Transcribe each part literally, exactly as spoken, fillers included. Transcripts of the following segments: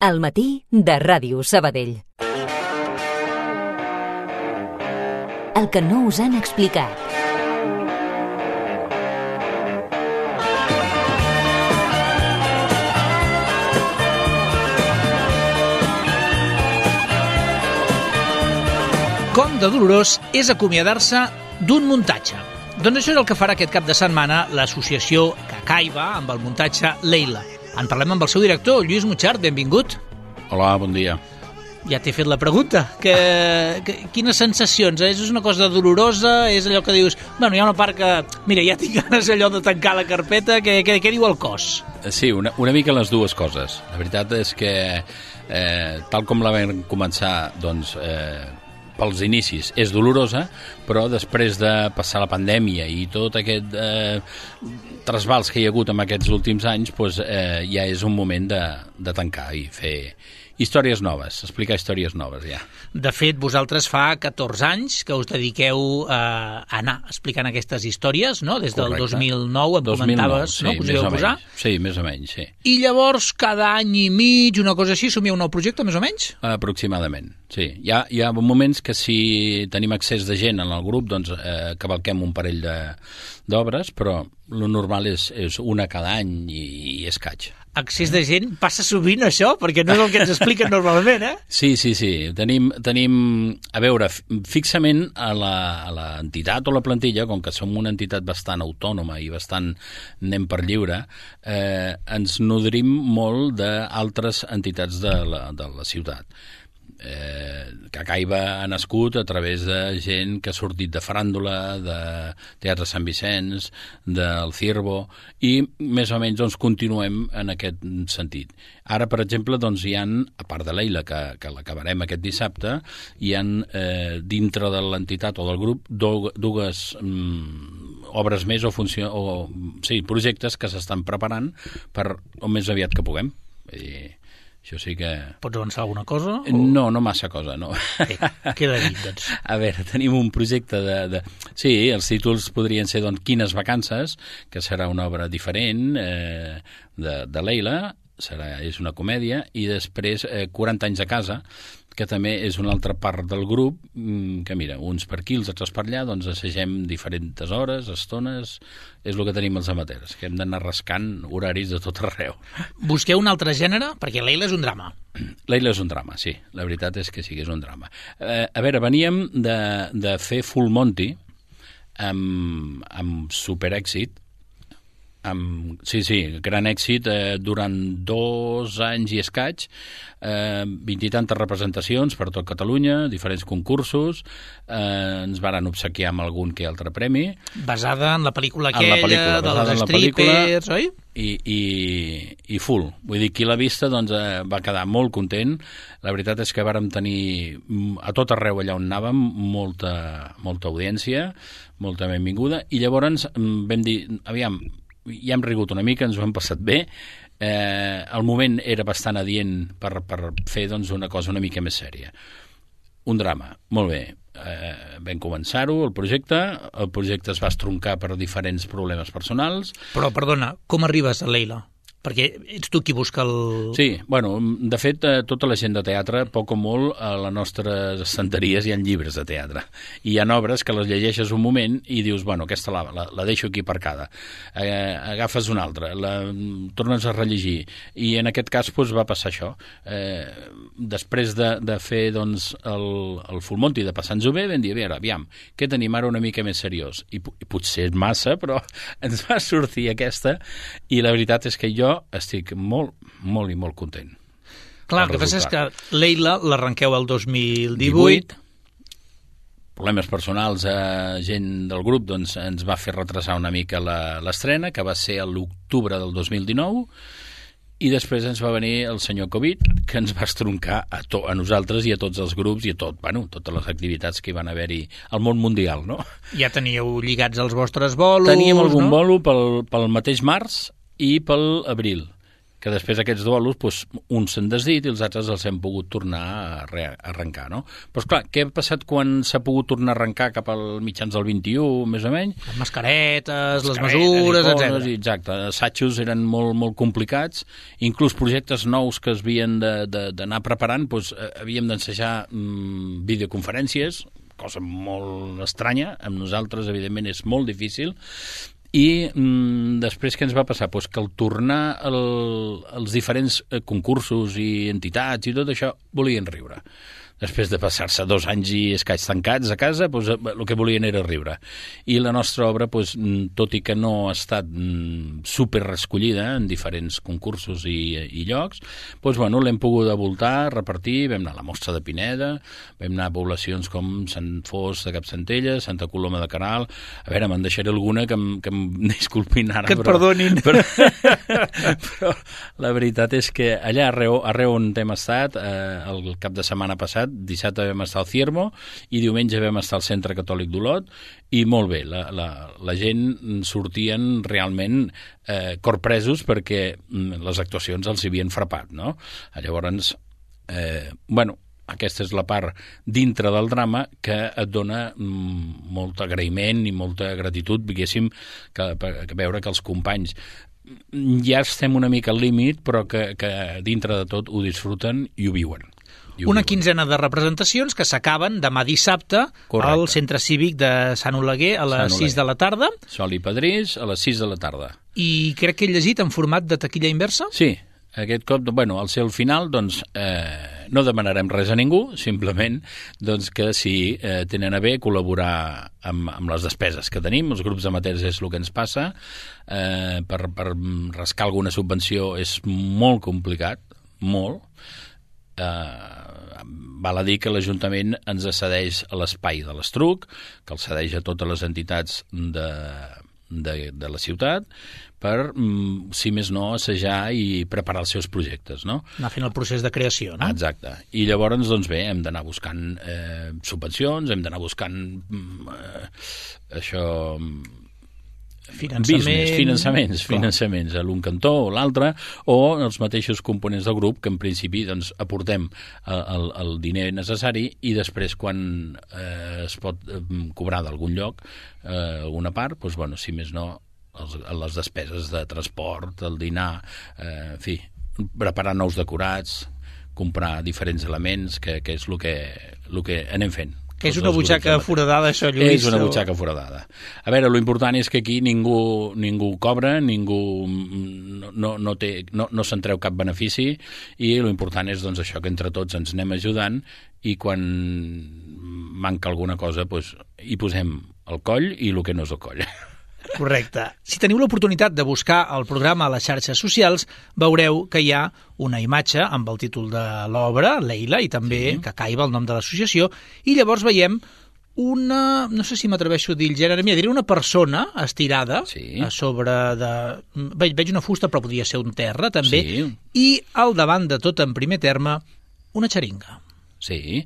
Al matí de Ràdio Sabadell. El que no us han explicat. Com de dolorós és acomiadar-se d'un muntatge. Doncs això és el que farà aquest cap de setmana l'associació Cacaiba amb el muntatge Leila. En parlem amb el seu director, Lluís Muchart, benvingut. Hola, bon dia. Ja t'he fet la pregunta. Que, que, quines sensacions? És una cosa dolorosa? És allò que dius, bueno, hi ha una part que, mira, ja tinc ganes allò de tancar la carpeta, què, què, què diu el cos? Sí, una, una mica les dues coses. La veritat és que, eh, tal com la vam començar, doncs, eh, pels inicis és dolorosa, però després de passar la pandèmia i tot aquest eh, trasbals que hi ha hagut en aquests últims anys, doncs, eh, ja és un moment de, de tancar i fer històries noves, explicar històries noves, ja. De fet, vosaltres fa catorze anys que us dediqueu a anar explicant aquestes històries, no? Des del dos mil nou, em comentaves, sí, no? Que us hi vau posar? Sí, més o menys, sí. I llavors, cada any i mig, una cosa així, somieu un nou projecte, més o menys? Aproximadament, sí. Hi ha, hi ha moments que si tenim accés de gent en el grup, doncs eh, cavalquem un parell d'obres, però el normal és, és una cada any i, i escaig. Accés de gent passa sovint això, perquè no és el que ens expliquen normalment, eh? Sí, sí, sí. Tenim, tenim a veure, fixament a l'entitat o la plantilla, com que som una entitat bastant autònoma i bastant anem per lliure, eh, ens nodrim molt d'altres entitats de la, de la ciutat. Eh, Cacaiba ha nascut a través de gent que ha sortit de faràndula, de Teatre Sant Vicenç, del Ciervo, i més o menys doncs, continuem en aquest sentit. Ara, per exemple, doncs, hi ha, a part de Leila, que, que l'acabarem aquest dissabte, hi ha eh, dintre de l'entitat o del grup do, dues mm, obres més o, funció, o sí, projectes que s'estan preparant per o més aviat que puguem. I això sí que... Pots avançar alguna cosa? O... No, no massa cosa, no. Bé, queda dit, doncs. A veure, tenim un projecte de... de... Sí, els títols podrien ser, doncs, Quines vacances, que serà una obra diferent eh, de, de Leila, serà, és una comèdia, i després eh, quaranta anys a casa, que també és una altra part del grup, que mira, uns per aquí, els altres per allà, doncs assagem diferents hores, estones, és el que tenim els amateurs, que hem d'anar rascant horaris de tot arreu. Busqueu un altre gènere? Perquè Leila és un drama. Leila és un drama, sí, la veritat és que sí que és un drama. Eh, a veure, veníem de, de fer Full Monty amb, amb superèxit, amb, sí, sí, gran èxit, eh, durant dos anys i escaig, eh, vint i tantes representacions per tot Catalunya, diferents concursos, eh, ens varen obsequiar amb algun que altre premi. Basada en la pel·lícula aquella, la pel·lícula, de les strippers, oi? I, i, i full. Vull dir, qui l'ha vista doncs, eh, va quedar molt content. La veritat és que vàrem tenir a tot arreu allà on anàvem molta, molta audiència, molta benvinguda, i llavors vam dir, aviam, ja hem rigut una mica, ens ho hem passat bé, eh, el moment era bastant adient per, per fer doncs, una cosa una mica més sèria. Un drama, molt bé. Eh, vam començar-ho, el projecte, el projecte es va estroncar per diferents problemes personals. Però, perdona, com arribes a Leila? Perquè ets tu qui busca el... Sí, bueno, de fet, eh, tota la gent de teatre, poc o molt, a les nostres estanteries hi ha llibres de teatre. I hi ha obres que les llegeixes un moment i dius, bueno, aquesta la, la, la deixo aquí aparcada. Eh, agafes una altra, la tornes a rellegir. I en aquest cas doncs, va passar això. Eh, després de, de fer doncs, el, el Full Monty, de passar-nos-ho bé, vam dir, a veure, aviam, què tenim ara una mica més seriós? I, i potser és massa, però ens va sortir aquesta, i la veritat és que jo estic molt, molt i molt content. Clar, el que passa és que Leila l'arrenqueu el dos mil divuit. Problemes personals a gent del grup doncs, ens va fer retrasar una mica l'estrena, que va ser a l'octubre del dos mil dinou, i després ens va venir el senyor Covid, que ens va estroncar a, to, a nosaltres i a tots els grups i a tot, bueno, totes les activitats que hi van haver-hi al món mundial, no? Ja teníeu lligats els vostres bolos, Teníem algun no? bolo pel, pel mateix març i pel abril. que després aquests duelos, doncs, uns s'han desdit i els altres els hem pogut tornar a, re a arrencar, no? Però, esclar, què ha passat quan s'ha pogut tornar a arrencar cap al mitjans del vint-i-u, més o menys? Les mascaretes, les mesures, etcètera. Exacte, assajos eren molt, molt complicats, inclús projectes nous que es havien d'anar preparant, doncs, havíem d'ensejar mm, videoconferències, cosa molt estranya, amb nosaltres, evidentment, és molt difícil. I mm, després què ens va passar? Pues que al tornar el, els diferents concursos i entitats i tot això volien riure. Després de passar-se dos anys i escaig tancats a casa, doncs, el que volien era riure. I la nostra obra, doncs, tot i que no ha estat super escollida en diferents concursos i, i llocs, doncs, bueno, l'hem pogut voltar, repartir, vam anar a la Mostra de Pineda, vam anar a poblacions com Sant Fost de Capcentelles, Santa Coloma de Queralt. A veure, me'n deixaré alguna que em, que em disculpin ara. Que et però, perdonin. Però, però la veritat és que allà arreu, arreu on hem estat, eh, el cap de setmana passat, dissabte vam estar al Ciermo i diumenge vam estar al Centre Catòlic d'Olot i molt bé, la, la, la gent sortien realment eh, corpresos perquè les actuacions els havien frapat, no? Llavors, eh, bueno, aquesta és la part dintre del drama que et dona mm, molt agraïment i molta gratitud, diguéssim, que, que veure que els companys ja estem una mica al límit, però que, que dintre de tot ho disfruten i ho viuen. Una quinzena de representacions que s'acaben demà dissabte Correcte. Al Centre Cívic de Sant Oleguer a les sis de la tarda. Sol i Pedrís a les sis de la tarda. I crec que he llegit en format de taquilla inversa? Sí, aquest cop, bueno, al ser el final, doncs, eh, no demanarem res a ningú, simplement doncs, que si eh, tenen a bé col·laborar amb, amb les despeses que tenim, els grups amateurs és el que ens passa, eh, per, per rascar alguna subvenció és molt complicat, molt. Eh, val a dir que l'Ajuntament ens cedeix a l'espai de l'Estruc, que el cedeix a totes les entitats de, de, de la ciutat, per, si més no, assajar i preparar els seus projectes, no? Anar fent el procés de creació, no? Exacte. I llavors, doncs bé, hem d'anar buscant eh, subvencions, hem d'anar buscant eh, això... Finançament... business, finançaments, finançaments a l'un cantó o l'altre, o els mateixos components del grup que en principi doncs, aportem el, el diner necessari i després quan eh, es pot eh, cobrar d'algun lloc eh, alguna part, doncs, bueno, si més no els, les despeses de transport, el dinar, eh, en fi, preparar nous decorats, comprar diferents elements, que, que és el que, el que anem fent. És una butxaca foradada, això, Lluís? És una butxaca foradada. A veure, l'important és que aquí ningú, ningú cobra, ningú no, no, no, té, no, no se'n treu cap benefici i l'important és doncs, això, que entre tots ens anem ajudant i quan manca alguna cosa doncs, hi posem el coll i el que no és el coll. Correcte. Si teniu l'oportunitat de buscar el programa a les xarxes socials, veureu que hi ha una imatge amb el títol de l'obra, Leila, i també sí. Cacaiba, el nom de l'associació, i llavors veiem una, no sé si m'atreveixo a dir el gènere, mira, diré una persona estirada sí. a sobre de... Veig, veig una fusta, però podria ser un terra, també, sí. I al davant de tot, en primer terme, una xeringa. Sí.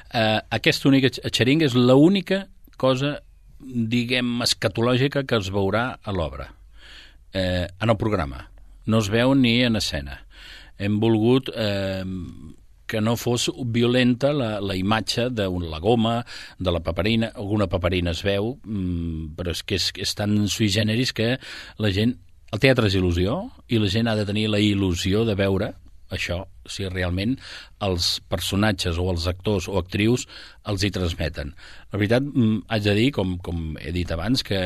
Uh, aquesta única xeringa és l'única cosa diguem, escatològica que es veurà a l'obra, eh, en el programa. No es veu ni en escena. Hem volgut eh, que no fos violenta la, la imatge de la goma, de la paperina. Alguna paperina es veu, mm, però és que és, és tan sui generis que la gent... El teatre és il·lusió i la gent ha de tenir la il·lusió de veure això, si realment els personatges o els actors o actrius els hi transmeten. La veritat, haig de dir, com, com he dit abans, que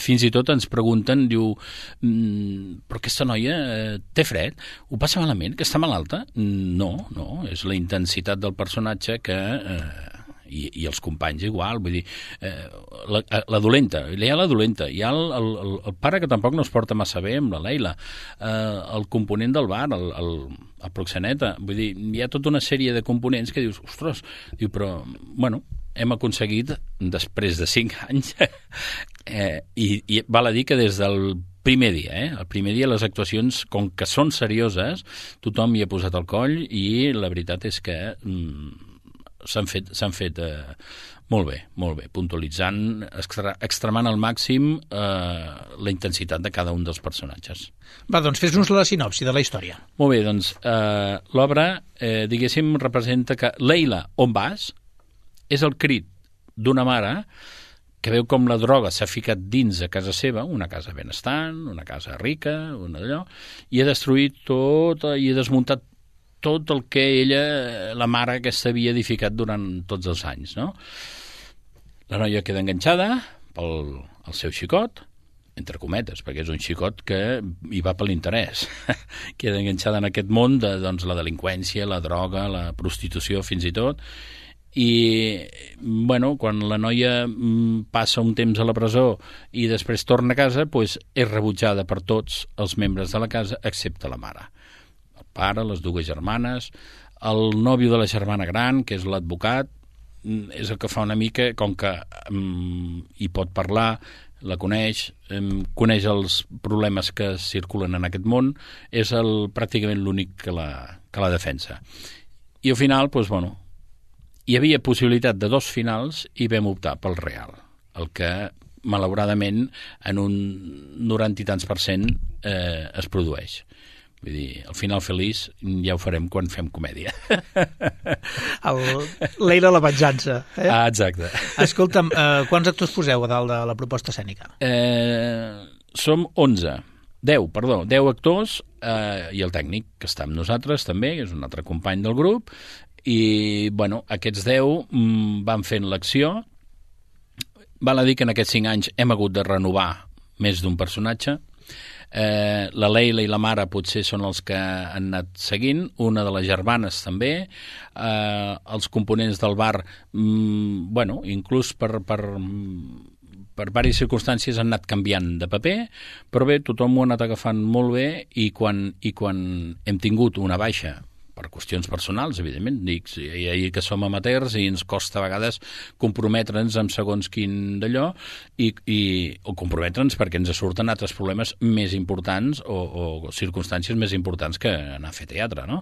fins i tot ens pregunten, diu, però aquesta noia eh, té fred? Ho passa malament? Que està malalta? No, no, és la intensitat del personatge que... Eh, I, i els companys igual, vull dir, eh, la, la dolenta, hi ha la dolenta, hi ha el, el, el pare que tampoc no es porta massa bé amb la Leila, eh, el component del bar, el, el, el proxeneta, vull dir, hi ha tota una sèrie de components que dius, ostres, diu, però, bueno, hem aconseguit, després de cinc anys, eh, i, i val a dir que des del primer dia, eh? El primer dia les actuacions, com que són serioses, tothom hi ha posat el coll i la veritat és que... Mm, s'han fet, s'han fet eh, molt bé, molt bé, puntualitzant, extra, extremant al màxim eh, la intensitat de cada un dels personatges. Va, doncs fes-nos la sinopsi de la història. Molt bé, doncs eh, l'obra, eh, diguéssim, representa que Leila, on vas? És el crit d'una mare que veu com la droga s'ha ficat dins de casa seva, una casa benestant, una casa rica, una d'allò, i ha destruït tot, i ha desmuntat tot el que ella, la mare aquesta, havia edificat durant tots els anys, no? La noia queda enganxada pel el seu xicot, entre cometes, perquè és un xicot que hi va per l'interès. Queda enganxada en aquest món de doncs, la delinqüència, la droga, la prostitució, fins i tot, i bueno, quan la noia passa un temps a la presó i després torna a casa, doncs és rebutjada per tots els membres de la casa excepte la mare, el pare, les dues germanes, el nòvio de la germana gran, que és l'advocat, és el que fa una mica, com que um, hi pot parlar, la coneix, um, coneix els problemes que circulen en aquest món, és el, pràcticament l'únic que la, que la defensa. I al final, doncs, bueno, hi havia possibilitat de dos finals i vam optar pel real, el que malauradament en un noranta i tants per cent eh, es produeix. Vull dir, el final feliç ja ho farem quan fem comèdia. El, Leila la venjança. Eh? Ah, exacte. Escolta'm, eh, quants actors poseu a dalt de la proposta escènica? Eh, som onze. deu, perdó, deu actors eh, i el tècnic, que està amb nosaltres també, que és un altre company del grup, i bueno, aquests deu mm, van fent l'acció. Val a dir que en aquests cinc anys hem hagut de renovar més d'un personatge. Eh, la Leila i la mare potser són els que han anat seguint, una de les germanes també, eh, els components del bar, mm, bueno, inclús per, per, per diverses circumstàncies han anat canviant de paper, però bé, tothom ho ha anat agafant molt bé, i quan, i quan hem tingut una baixa per qüestions personals, evidentment, dic, i, i que som amateurs i ens costa a vegades comprometre'ns amb segons quin d'allò, i, i, o comprometre'ns perquè ens surten altres problemes més importants o, o circumstàncies més importants que anar a fer teatre, no?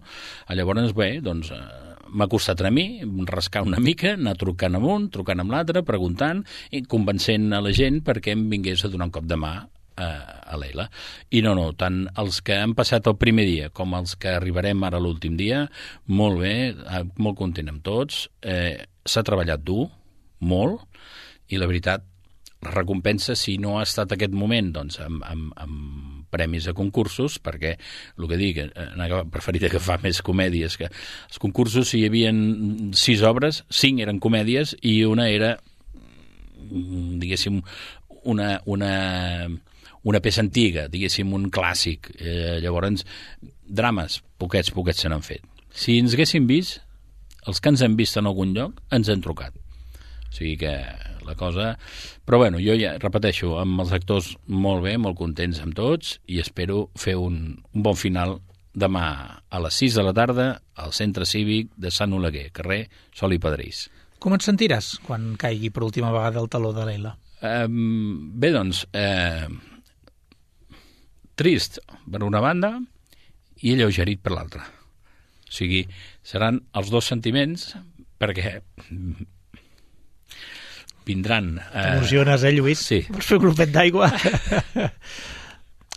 Llavors, bé, doncs, eh, m'ha costat a mi rascar una mica, anar trucant amb un, trucant amb l'altre, preguntant i convencent a la gent perquè em vingués a donar un cop de mà a Leila. I no, no, tant els que han passat el primer dia com els que arribarem ara l'últim dia, molt bé, molt content amb tots, eh, s'ha treballat dur, molt, i la veritat, la recompensa, si no ha estat aquest moment, doncs, amb, amb, amb premis a concursos, perquè, el que dic, he preferit agafar més comèdies, que els concursos, si hi havia sis obres, cinc eren comèdies i una era, diguéssim, una... una una peça antiga, diguéssim, un clàssic. Eh, llavors, drames, poquets, poquets se n'han fet. Si ens haguéssim vist, els que ens han vist en algun lloc, ens han trucat. O sigui que la cosa... Però bueno, jo ja repeteixo, amb els actors molt bé, molt contents amb tots, i espero fer un, un bon final demà a les sis de la tarda al Centre Cívic de Sant Oleguer, carrer Sol i Padrís. Com et sentiràs quan caigui per última vegada el taló de Leila? Eh, bé, doncs... Eh, trist per una banda i alleugerit per l'altra. O sigui, seran els dos sentiments perquè vindran... Eh... T'emociones, eh, Lluís? Sí. Vols fer un glopet d'aigua?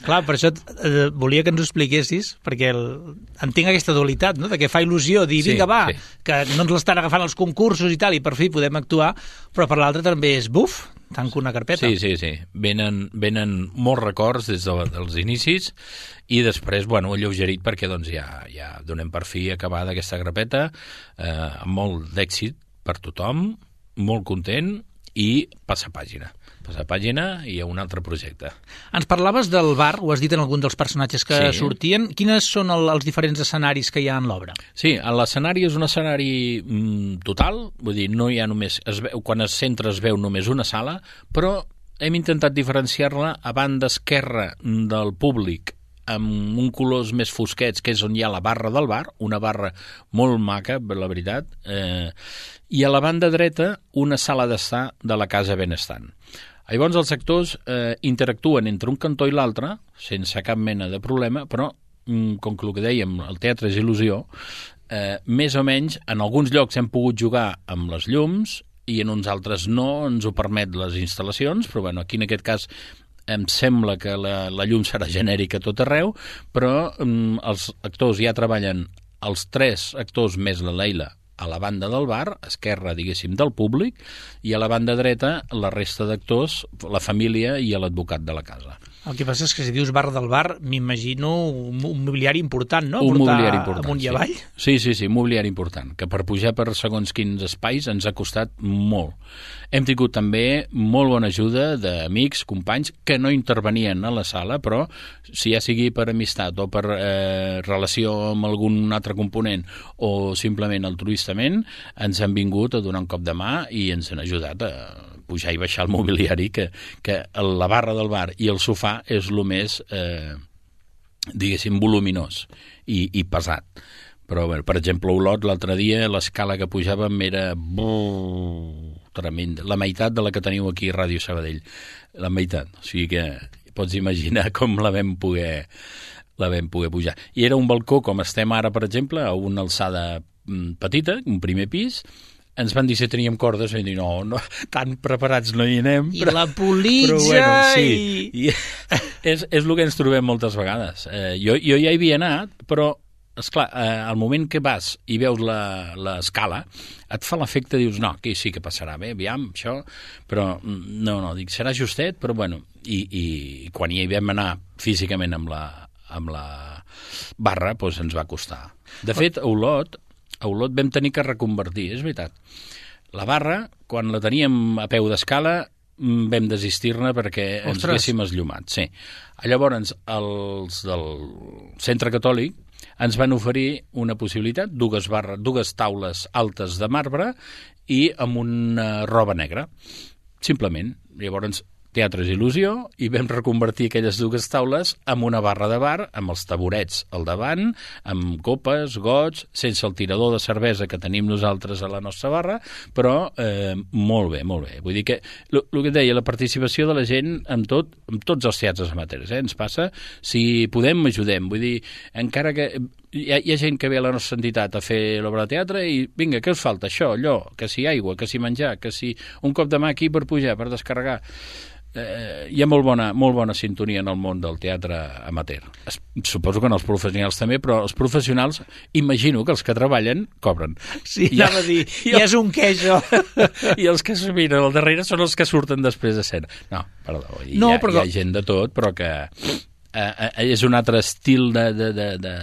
Clar, per això eh, volia que ens ho expliquessis, perquè el... entenc aquesta dualitat, no?, de que fa il·lusió dir, vinga, sí, va, sí, que no ens l'estan agafant els concursos i tal, i per fi podem actuar, però per l'altre també és, buf, tanco una carpeta. Sí, sí, sí. Venen, venen molts records des de, dels inicis i després, bueno, alleugerit perquè doncs ja, ja donem per fi acabada aquesta carpeta, eh, amb molt d'èxit per tothom, molt content i passa pàgina. Passa pàgina i a un altre projecte. Ens parlaves del bar, ho has dit en algun dels personatges que sí. sortien. Quines són el, els diferents escenaris que hi ha en l'obra? Sí, l'escenari és un escenari mm, total, vull dir, no hi ha només... Es veu, quan es centra es veu només una sala, però hem intentat diferenciar-la a banda esquerra del públic amb un colors més fosquets, que és on hi ha la barra del bar, una barra molt maca, la veritat, eh, i a la banda dreta una sala d'estar de la Casa Benestant. Llavors els actors eh, interactuen entre un cantó i l'altre, sense cap mena de problema, però, mm, com que el que dèiem, el teatre és il·lusió, eh, més o menys, en alguns llocs hem pogut jugar amb les llums i en uns altres no ens ho permet les instal·lacions, però bueno, aquí en aquest cas em sembla que la, la llum serà genèrica a tot arreu, però mm, els actors ja treballen, els tres actors més la Leila, a la banda del bar, esquerra, diguéssim, del públic, i a la banda dreta la resta d'actors, la família i l'advocat de la casa. El que passa és que si dius bar del bar, m'imagino un, un mobiliari important, no? Un Portar mobiliari important, amunt i avall. sí. Sí, sí, sí, mobiliari important, que per pujar per segons quins espais ens ha costat molt. Hem tingut també molt bona ajuda d'amics, companys, que no intervenien a la sala, però si ja sigui per amistat o per eh, relació amb algun altre component o simplement altruistament, ens han vingut a donar un cop de mà i ens han ajudat a pujar i baixar el mobiliari, que, que la barra del bar i el sofà és el més, eh, diguéssim, voluminós i, i pesat. Però, bé, per exemple, a Olot, l'altre dia, l'escala que pujàvem era buh, tremenda. La meitat de la que teniu aquí a Ràdio Sabadell. La meitat. O sigui que pots imaginar com la vam poder, la vam poder pujar. I era un balcó, com estem ara, per exemple, a una alçada petita, un primer pis. Ens van dir si teníem cordes, i dir, no, no, tan preparats no hi anem. I però, la politja... Però, bueno, sí, i... és, és el que ens trobem moltes vegades. Eh, jo, jo ja hi havia anat, però, esclar, eh, al moment que vas i veus l'escala, et fa l'efecte, dius, no, aquí sí que passarà bé, aviam, això, però no, no, dic, serà justet, però, bueno, i, i quan hi vam anar físicament amb la, amb la barra, doncs ens va costar. De fet, a Olot, a Olot vam tenir que reconvertir, és veritat. La barra, quan la teníem a peu d'escala, vam desistir-ne perquè Ostres. ens haguéssim esllumat. Sí. Llavors, els del Centre Catòlic ens van oferir una possibilitat, dues, barres, dues taules altes de marbre i amb una roba negra. Simplement. Llavors, Teatres Il·lusió, i vam reconvertir aquelles dues taules en una barra de bar, amb els taburets al davant, amb copes, gots, sense el tirador de cervesa que tenim nosaltres a la nostra barra, però eh, molt bé, molt bé. Vull dir que, el que et deia, la participació de la gent amb tot, amb tots els teatres amateurs, eh, ens passa, si podem, ajudem. Vull dir, encara que hi ha, hi ha gent que ve a la nostra entitat a fer l'obra de teatre i, vinga, què us falta? Això, allò, que si aigua, que si menjar, que si un cop de mà aquí per pujar, per descarregar. Eh, hi ha molt bona, molt bona sintonia en el món del teatre amateur. Es, suposo que en els professionals també, però els professionals, imagino que els que treballen cobren. Sí, I anava a dir, ja és un què, això. I els que es miren al darrere són els que surten després de escena. No, perdó, hi, no, ha, però... hi ha gent de tot, però que eh, eh, és un altre estil de, de, de, de,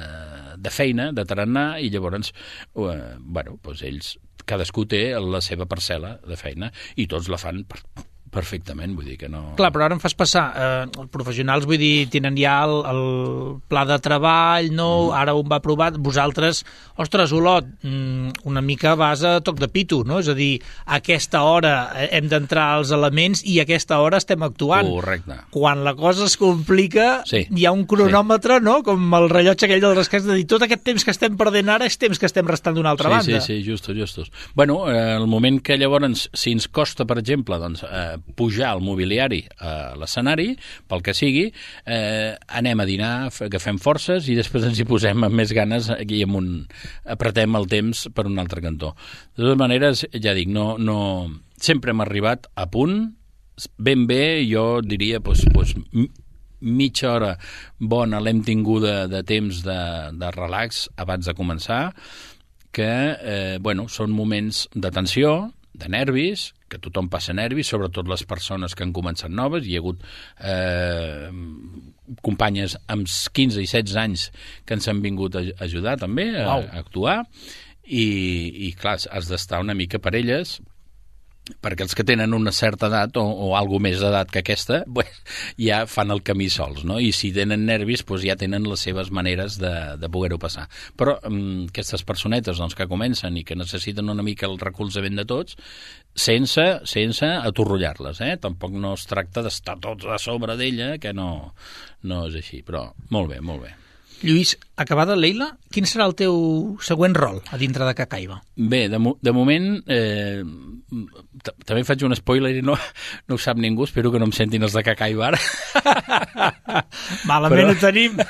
de feina, de tarannà, i llavors, eh, bueno, doncs ells, cadascú té la seva parcel·la de feina, i tots la fan per perfectament, vull dir que no... Clar, però ara em fas passar, eh, els professionals, vull dir, tenen ja el, el pla de treball, no? Mm. Ara un va aprovar, vosaltres, ostres, Olot, una mica vas a toc de pito, no? És a dir, a aquesta hora hem d'entrar als elements i a aquesta hora estem actuant. Correcte. Quan la cosa es complica, sí. hi ha un cronòmetre, sí. no? Com el rellotge aquell del rescat, de dir, tot aquest temps que estem perdent ara és temps que estem restant d'una altra sí, banda. Sí, sí, justos, justos. Bueno, eh, el moment que llavors, si ens costa, per exemple, doncs, eh, pujar el mobiliari a l'escenari, pel que sigui, eh, anem a dinar, agafem forces i després ens hi posem amb més ganes i amb un, apretem el temps per un altre cantó. De totes maneres, ja dic, no, no, sempre hem arribat a punt, ben bé, jo diria, doncs, doncs, mitja hora bona l'hem tinguda de temps de, de relax abans de començar, que, eh, bueno, són moments de tensió, de nervis, que tothom passa nervis, sobretot les persones que han començat noves. Hi ha hagut eh, companyes amb quinze i setze anys que ens han vingut a ajudar també a, wow. a actuar i, i clar, has d'estar una mica per elles, perquè els que tenen una certa edat o, o alguna més d'edat que aquesta, pues, ja fan el camí sols, no? I si tenen nervis, pues, ja tenen les seves maneres de, de poder-ho passar. Però um, aquestes personetes doncs, que comencen i que necessiten una mica el recolzament de tots, sense, sense atorrollar-les, eh? Tampoc no es tracta d'estar tots a sobre d'ella, que no, no és així, però molt bé, molt bé. Lluís, acabada Leila, quin serà el teu següent rol a dintre de Cacaiba? Bé, de, mo de moment eh, també faig un spoiler i no, no ho sap ningú, espero que no em sentin els de Cacaiba ara. Malament Però, ho tenim.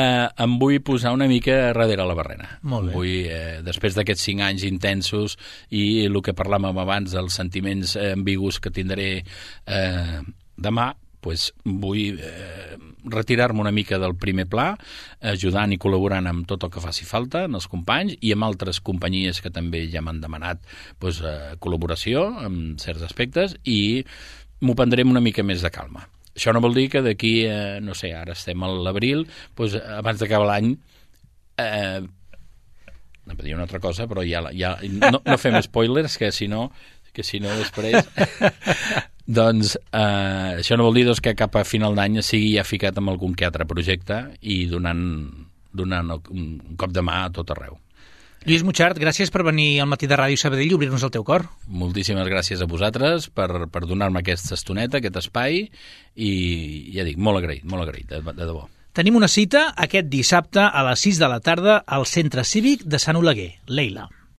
eh, em vull posar una mica darrere la barrena. Molt bé. Vull, eh, després d'aquests cinc anys intensos i el que parlàvem abans, els sentiments eh, ambigus que tindré eh, demà, pues vull eh, retirar-me una mica del primer pla, ajudant i col·laborant amb tot el que faci falta, en els companys, i amb altres companyies que també ja m'han demanat pues, eh, col·laboració en certs aspectes, i m'ho prendré una mica més de calma. Això no vol dir que d'aquí, eh, no sé, ara estem a l'abril, pues, abans d'acabar l'any, eh, no em dir una altra cosa, però ja, ja no, no fem spoilers, que si no, que si no després... Doncs eh, això no vol dir doncs, que cap a final d'any sigui ja ficat amb algun que altre projecte i donant, donant un cop de mà a tot arreu. Lluís Muchart, gràcies per venir al Matí de Ràdio Sabadell i obrir-nos el teu cor. Moltíssimes gràcies a vosaltres per, per donar-me aquesta estoneta, aquest espai, i ja dic, molt agraït, molt agraït, de, de debò. Tenim una cita aquest dissabte a les sis de la tarda al Centre Cívic de Sant Oleguer, Leila.